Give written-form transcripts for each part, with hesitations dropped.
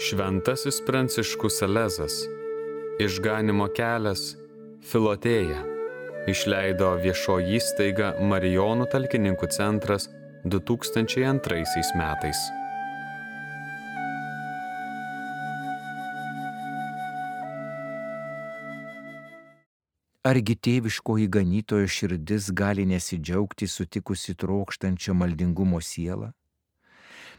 Šventasis Pranciškus Salezas, Išganymo kelias, Filotėja, išleido viešoji įstaiga Marijonų talkininkų centras 2002 metais. Argi tėviškoji ganytojo širdis gali nesidžiaugti sutikusi trokštančią maldingumo sielą?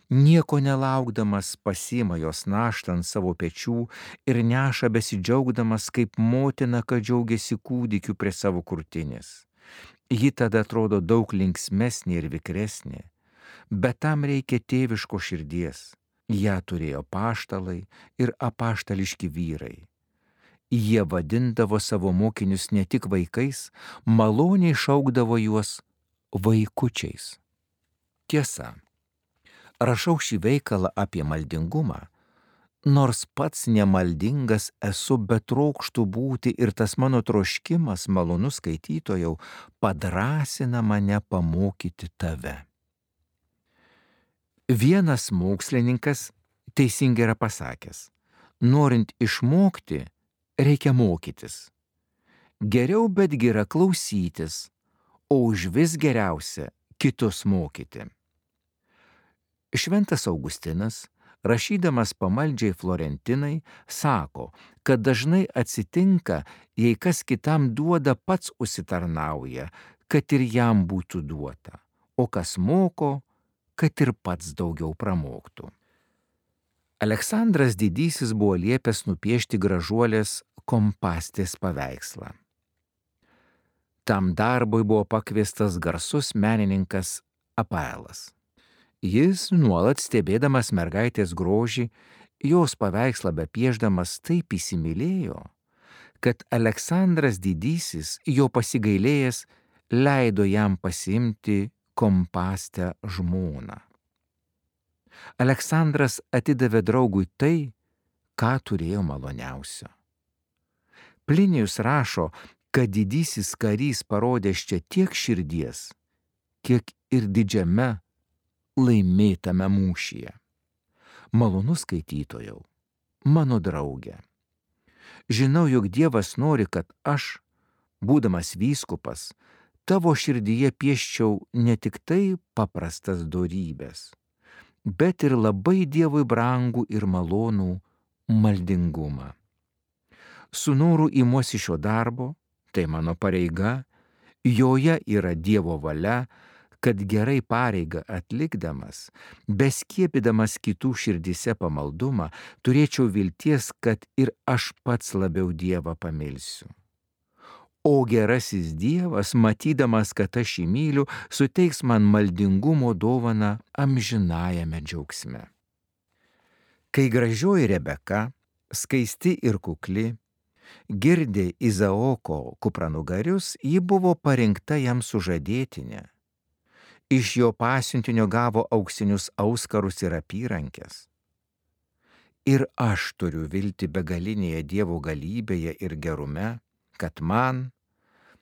Nieko nelaukdamas pasiima jos naštą ant savo pečių ir neša besidžiaugdamas kaip motina, kad džiaugiasi kūdikiu prie savo krūtinės. Ji tada atrodo daug linksmesnė ir vikresnė, bet tam reikia tėviško širdies. Ją turėjo apaštalai ir apaštališki vyrai. Jie vadindavo savo mokinius ne tik vaikais, maloniai šaukdavo juos vaikučiais. Tiesa, rašau šį veikalą apie maldingumą, nors pats nemaldingas esu, bet trokštu būti ir tas mano troškimas, malonus skaitytojau, padrąsina mane pamokyti tave. Vienas mokslininkas teisingai yra pasakęs, norint išmokti, reikia mokytis. Geriau betgi yra klausytis, o užvis geriausia kitus mokyti. Šventas Augustinas, rašydamas pamaldžiai Florentinai, sako, kad dažnai atsitinka, jei kas kitam duoda, pats užsitarnauja, kad ir jam būtų duota, o kas moko, kad ir pats daugiau pramoktų. Aleksandras Didysis buvo liepęs nupiešti gražuolės Kompastės paveikslą. Tam darbui buvo pakviestas garsus menininkas Apaelas. Jis, nuolat stebėdamas mergaitės grožį, jos paveikslą bepiešdamas taip įsimylėjo, kad Aleksandras Didysis, jo pasigailėjęs, leido jam pasiimti Kompastę žmoną. Aleksandras atidavė draugui tai, ką turėjo maloniausio. Plinijus rašo, kad didysis karys parodęs čia tiek širdies, kiek ir didžiame laimėtame mūšyje. Malonus skaitytojau, mano draugė, žinau, jog Dievas nori, kad aš, būdamas vyskupas, tavo širdyje pieščiau ne tik tai paprastas dorybės, bet ir labai Dievui brangų ir malonų maldingumą. Su noru imuosi šio darbo, tai mano pareiga, joje yra Dievo valia, kad gerai pareigą atlikdamas, beskiepydamas kitų širdyse pamaldumą, turėčiau vilties, kad ir aš pats labiau Dievą pamilsiu. O gerasis Dievas, matydamas, kad aš jį myliu, suteiks man maldingumo dovaną amžinajame džiaugsme. Kai gražioji Rebeka, skaisti ir kukli, girdė Izaoko kupranugarius, ji buvo parinkta jam sužadėtinė. Iš jo pasiuntinio gavo auksinius auskarus ir apyrankes. Ir aš turiu viltį begalinėje Dievo galybėje ir gerume, kad man,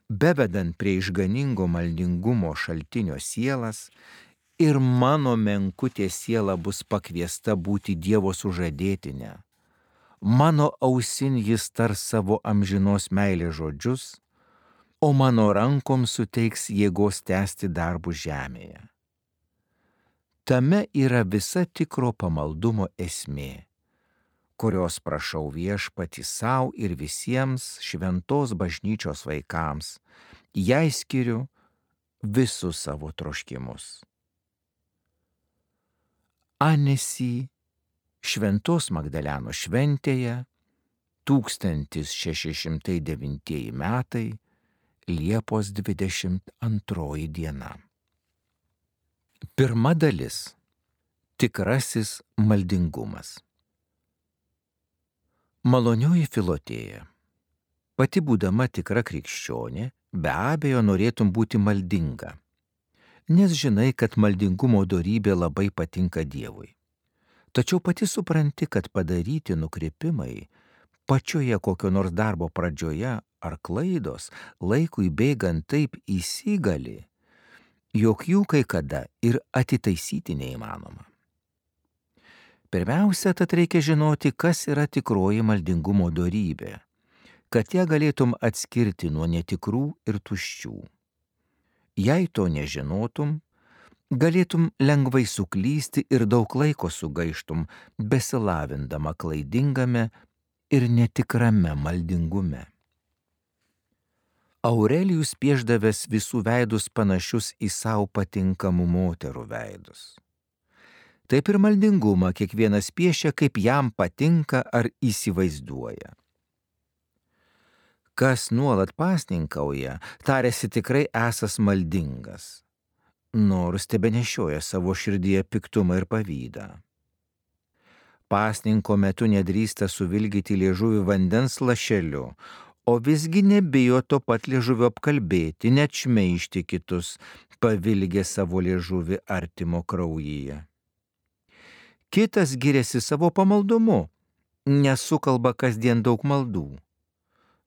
bevedant prie išganingo maldingumo šaltinio sielas, ir mano menkutė siela bus pakviesta būti Dievo sužadėtinė. Mano ausin jis tars savo amžinos meilės žodžius, o mano rankoms suteiks jėgos tęsti darbus žemėje. Tame yra visa tikro pamaldumo esmė, kurios prašau Viešpatį sau ir visiems šventos bažnyčios vaikams, jai skiriu visus savo troškimus. Anesi Šventos Magdalenos šventėje 1609 metai, Liepos 22 diena. Pirma dalis. Tikrasis maldingumas. Malonioji Filotėja, pati būdama tikra krikščionė, be abejo norėtum būti maldinga, nes žinai, kad maldingumo dorybė labai patinka Dievui. Tačiau pati supranti, kad padaryti nukrypimai pačioje kokio nors darbo pradžioje ar klaidos laikui bėgant taip įsigali, jog jų kai kada ir atitaisyti neįmanoma. Pirmiausia, tad reikia žinoti, kas yra tikroji maldingumo dorybė, kad ją galėtum atskirti nuo netikrų ir tuščių. Jei to nežinotum, galėtum lengvai suklysti ir daug laiko sugaištum, besilavindama klaidingame ir netikrame maldingume. Aurelijus piešdavęs visų veidus panašius į savo patinkamų moterų veidus. Taip ir maldingumą kiekvienas piešia, kaip jam patinka ar įsivaizduoja. Kas nuolat pasninkauja, tariasi tikrai esas maldingas, nors tebenešioja savo širdyje piktumą ir pavydą. Pasninko metu nedrįsta suvilgyti liežuvį vandens lašeliu, o visgi nebijo to pat liežuvio apkalbėti, net šmeižti kitus, pavilgė savo liežuvį artimo kraujyje. Kitas giriasi savo pamaldumu, nesukalba kasdien daug maldų.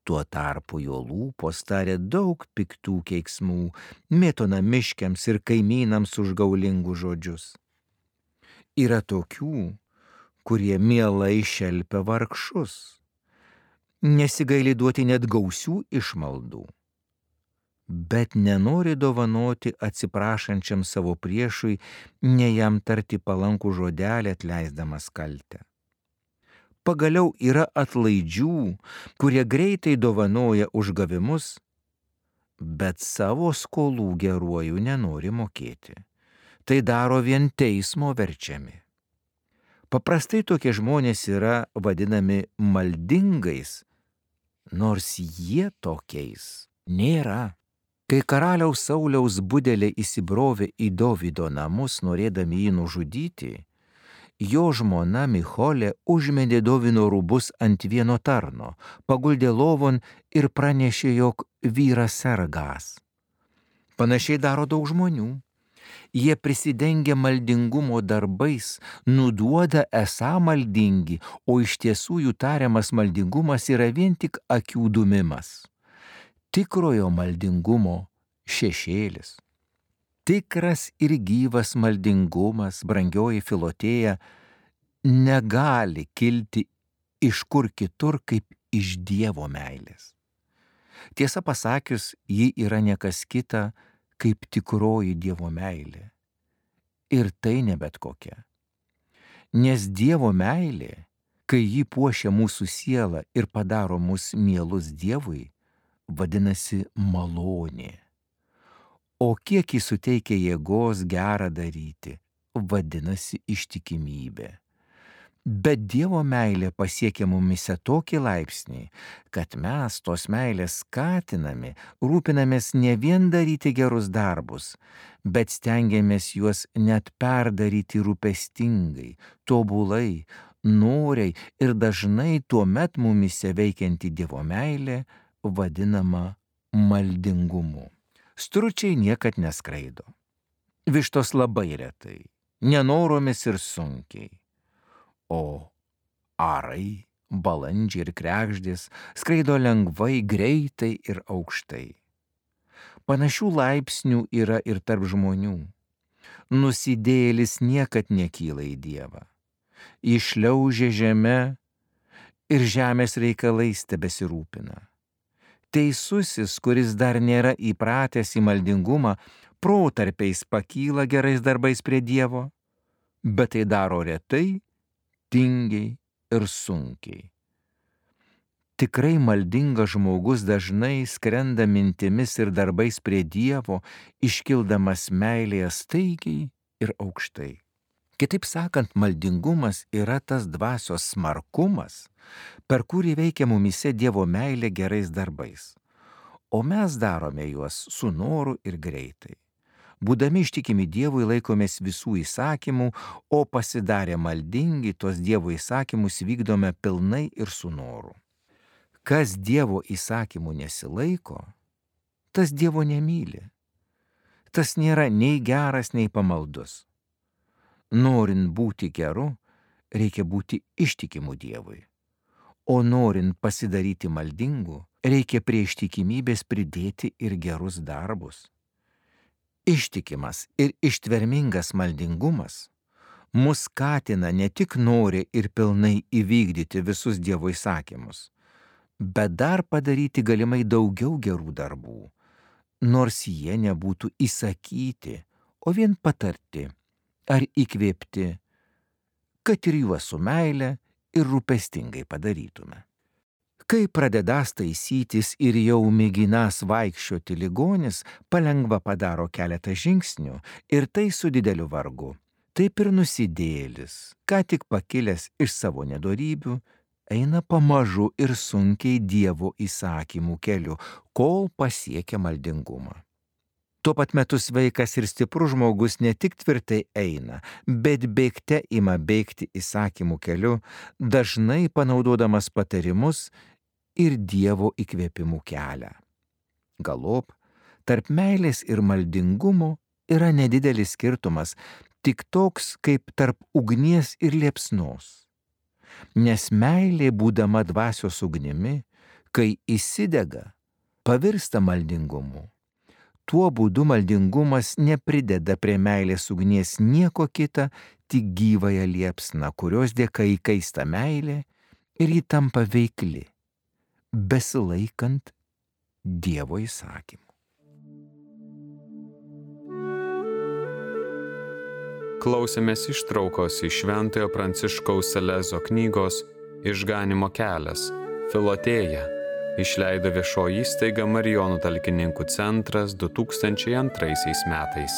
Tuo tarpu jo lūpos taria daug piktų keiksmų, mėto namiškiams ir kaimynams užgaulingus žodžius. Yra tokių, kurie mielai šelpia vargšus, nesigaili duoti net gausių išmaldų, bet nenori dovanoti atsiprašančiam savo priešui, ne jam tarti palankų žodelį atleisdamas kaltę. Pagaliau yra atlaidžių, kurie greitai dovanoja užgavimus, bet savo skolų geruoju nenori mokėti. Tai daro vien teismo verčiami. Paprastai tokie žmonės yra vadinami maldingais, nors jie tokiais nėra. Kai karaliaus Sauliaus budelė įsibrovė į Dovydo namus, norėdami jį nužudyti, jo žmona Micholė užmedė Dovydo rūbus ant vieno tarno, paguldė lovon ir pranešė, jog vyras sergąs. Panašiai daro daug žmonių. Jie prisidengia maldingumo darbais, nuduoda esą maldingi, o iš tiesų jų tariamas maldingumas yra vien tik akių dumimas. Tikrojo maldingumo šešėlis. Tikras ir gyvas maldingumas, brangioji Filotėja, negali kilti iš kur kitur kaip iš Dievo meilės. Tiesą pasakius, ji yra niekas kita kaip tikroji Dievo meilė. Ir tai ne bet kokia. Nes Dievo meilė, kai ji puošia mūsų sielą ir padaro mus mielus Dievui, vadinasi malonė. O kiek jis suteikia jėgos gerą daryti, vadinasi ištikimybė. Bet Dievo meilė pasiekia mumise tokį laipsnį, kad mes tos meilės skatinami, rūpinamės ne vien daryti gerus darbus, bet stengiamės juos net perdaryti rūpestingai, tobulai, noriai ir dažnai tuomet mumise veikianti Dievo meilė vadinama maldingumu. Stručiai niekad neskraido. Vištos labai retai, nenoromis ir sunkiai. O arai, balandžiai ir kregždės skraido lengvai, greitai ir aukštai. Panašių laipsnių yra ir tarp žmonių. Nusidėjėlis niekad nekyla į Dievą. Išliaužia žeme ir žemės reikalais tebesirūpina. Teisusis, kuris dar nėra įpratęs į maldingumą, protarpiais pakyla gerais darbais prie Dievo, bet tai daro retai, tingiai ir sunkiai. Tikrai maldingas žmogus dažnai skrenda mintimis ir darbais prie Dievo, iškildamas meilėje staigiai ir aukštai. Kitaip sakant, maldingumas yra tas dvasios smarkumas, per kurį veikia mumise Dievo meilė gerais darbais, o mes darome juos su noru ir greitai. Būdami ištikimi Dievui laikomės visų įsakymų, o pasidarę maldingi tos Dievo įsakymus vykdome pilnai ir su noru. Kas Dievo įsakymų nesilaiko, tas Dievo nemyli. Tas nėra nei geras, nei pamaldus. Norint būti geru, reikia būti ištikimu Dievui. O norint pasidaryti maldingu, reikia prie ištikimybės pridėti ir gerus darbus. Ištikimas ir ištvermingas maldingumas mus skatina ne tik nori ir pilnai įvykdyti visus Dievo įsakymus, bet dar padaryti galimai daugiau gerų darbų, nors jie nebūtų įsakyti, o vien patarti ar įkvėpti, kad ir juos su meile ir rūpestingai padarytume. Kai pradedąs taisytis ir jau mėginąs vaikščioti ligonis, palengva padaro keletą žingsnių ir tai su dideliu vargu. Taip ir nusidėjėlis, ką tik pakilęs iš savo nedorybių, eina pamažu ir sunkiai Dievo įsakymų keliu, kol pasiekia maldingumą. Tuo pat metu sveikas ir stiprus žmogus ne tik tvirtai eina, bet bėgte ima bėgti įsakymų keliu, dažnai panaudodamas patarimus ir Dievo įkvėpimų kelią. Galop, tarp meilės ir maldingumo yra nedidelis skirtumas, tik toks kaip tarp ugnies ir liepsnos. Nes meilė, būdama dvasios ugnimi, kai įsidega, pavirsta maldingumu. Tuo būdu maldingumas neprideda prie meilės ugnies nieko kita, tik gyvąją liepsną, kurios dėka įkaista meilė ir ji tampa veikli, besilaikant Dievo įsakymų. Klausėmės ištraukos iš Šventojo Pranciškaus Salezo knygos Išganymo kelias – Filotėja. Išleido viešoji įstaiga Marijonų talkininkų centras 2002 metais.